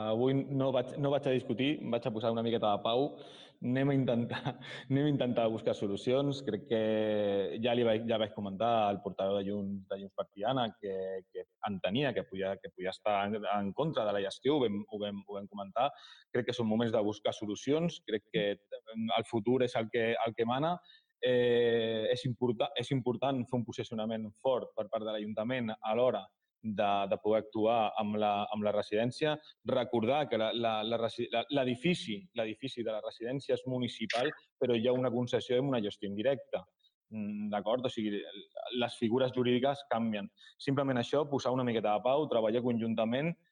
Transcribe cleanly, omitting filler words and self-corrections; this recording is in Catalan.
avui no vaig a discutir, vaig a posar una miqueta de pau, anem a intentar buscar solucions. Crec que ja vaig comentar al portaveu de Junts per Tiana que entenia que podia estar en contra de la gestió, ho vam comentar. Crec que són moments de buscar solucions, crec que el futur és el que mana. És important fer un posicionament fort per part de l'Ajuntament a l'hora de poder actuar amb la residència. Recordar que l'edifici de la residència és municipal, però hi ha una concessió i una gestió indirecta. D'acord? O sigui, les figures jurídiques canvien. Simplement això, posar una miqueta de pau, treballar conjuntament